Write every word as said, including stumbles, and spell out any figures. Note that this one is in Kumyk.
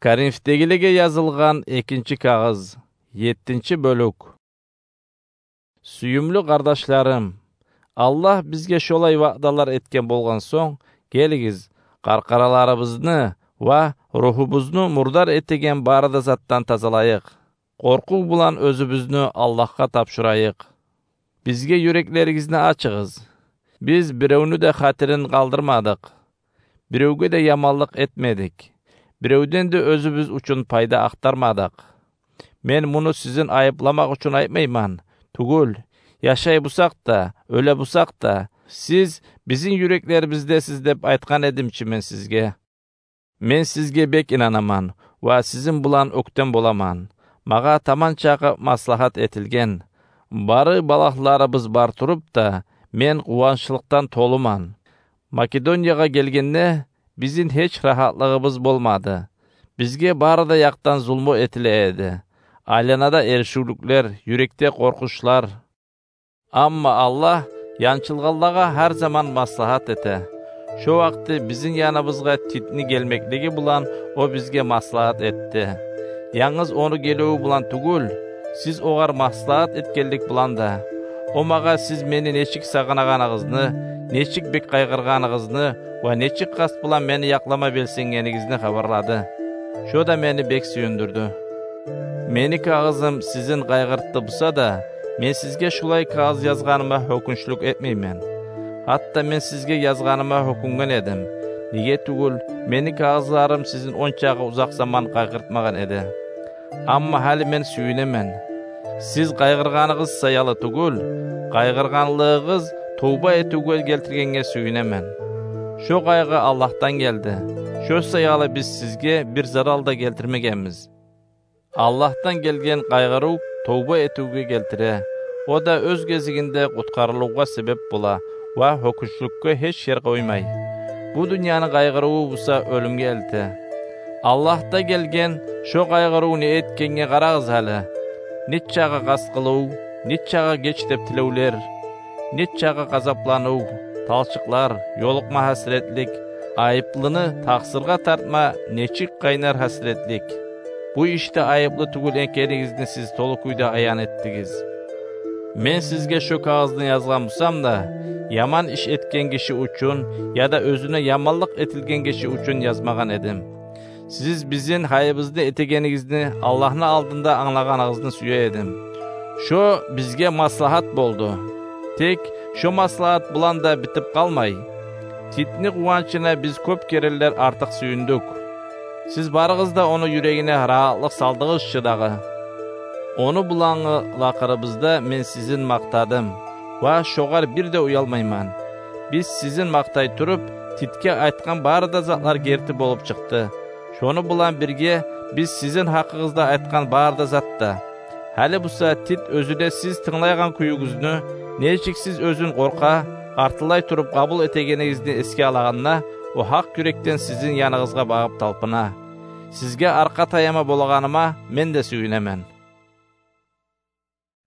Коринфдегилеге язылгъан экинчи кагъыз, еттинчи бёлюк. Сююмлю къардашларым, Аллагь бизге шолай ваъдалар этген болгъан сонг, гелигиз, къаркъараларыбызны ва рухубузну мурдар этеген бары да затдан тазалайыкъ. Къоркъув булан оьзюбюзню Аллагьгъа тапшурайыкъ. Бизге юреклеригизни ачыгъыз. Биз биревню де хатирин къалдырмадыкъ. Биревге де яманлыкъ этмедик. Биревден де оьзюбюз учун пайда ахтармадыкъ. Мен муну сизин айыпламакъ учун айтмайман. Тюгюл, яшай бусакъ да, оьле бусакъ да, сиз бизин юреклерибиздесиз деп айтгъан эдим чи мен сизге. Мен сизге бек инанаман ва сизин булан оьктем боламан. Магъа таман чакъы маслагьат этилген. Бары балагьларыбыз бар туруп да, мен къуванчлыкъдан толуман. Македониягъа гелгенде, бизин гьеч рагьатлыгъыбыз болмады. Бизге бары да якъдан зулму этиле эди. Айланада эришивлюклер, юрекде къоркъучлар. Амма Аллагь янчылгъанлагъа гьар заман маслагьат эте. Шо вакъти бизин яныбызгъа Титни гелмеклиги булан о бизге маслагьат этди. Янгыз ону геливи булан тюгюл, сиз огъар маслагьат этгенлик булан да, о магъа сиз мени нечик сагъынагъаныгъызны, нечик бек къайгъыргъаныгъызны ва нечик къаст булан мени якълама белсенгенигизни хабарлады. Шо да мени бек сююндюрдю. Мени кагъызым сизин къайгъыртды буса да, мен сизге шулай кагъыз язгъаныма гьёкюнчлюк этмеймен. Гьатта мен сизге язгъаныма гьёкюнген эдим. Неге тюгюл, мени кагъызларым сизин ончакъы узакъ заман къайгъыртмагъан эди. Амма гьали мен сююнемен. Сиз къайгъыргъаныгъыз саялы тюгюл, къайгъыргъанлыгъыгъыз товба этивге гелтиргенге сююнемен. Шо къайгъы Аллагьдан гелди. Шо саялы биз сизге бир зарал да гелтирмегенбиз. Аллагьдан гелген къайгъырыв товба этивге гелтире. О да оьз гезигинде къутгъарылывгъа себеп бола ва гьёкюнчлюкге гьеч ер къоймай. Бу дюньяны къайгъырыву буса оьлюмге элте. Аллагьдан гелген шо къайгъырыв не этгенге къарагъыз гьали. Нечакъы къаст къылыв, нечакъы геч деп тилевлер, нечакъы къазапланув, талчыкълар, ёлукъма гьасиретлик, айыплыны такъсыргъа тартма нечик къайнар гьасиретлик. Бу ишде айыплы тюгюл экенигизни сиз толу кюйде аян этдигиз. Мен сизге шо кагъызны язгъан бусам да, яман иш этген гиши учун яда оьзюне яманлыкъ этилген гиши учун язмагъан эдим. Сиз бизин гьайыбызны этегенигизни Аллагьны алдында англагъаныгъызны сюе эдим. Шо бизге маслагьат болду. Тек шо маслагьат булан да битип къалмай, Титни къуванчына биз кёп керенлер артыкъ сююндюк. Сиз барыгъыз да ону юрегине рагьатлыкъ салдыгъыз чы дагъы. Ону булангъы лакъырыбызда мен сизин макътадым ва шогъар бир де уялмайман. Биз сизин макътай туруп, Титге айтгъан бары да затлар герти болуп чыкъды. Шону булан бирге биз сизин гьакъыгъызда айтгъан бары да зат да. Гьали буса Тит оьзю де сиз тынглайгъан кююгюзню, нечик сиз оьзюн къоркъа, къартыллай туруп къабул этегенигизни эсге алагъанда, о гьакъ юрекден сизин яныгъызгъа багъып талпына. Сизге аркъа таяма болагъаныма мен де сююнемен.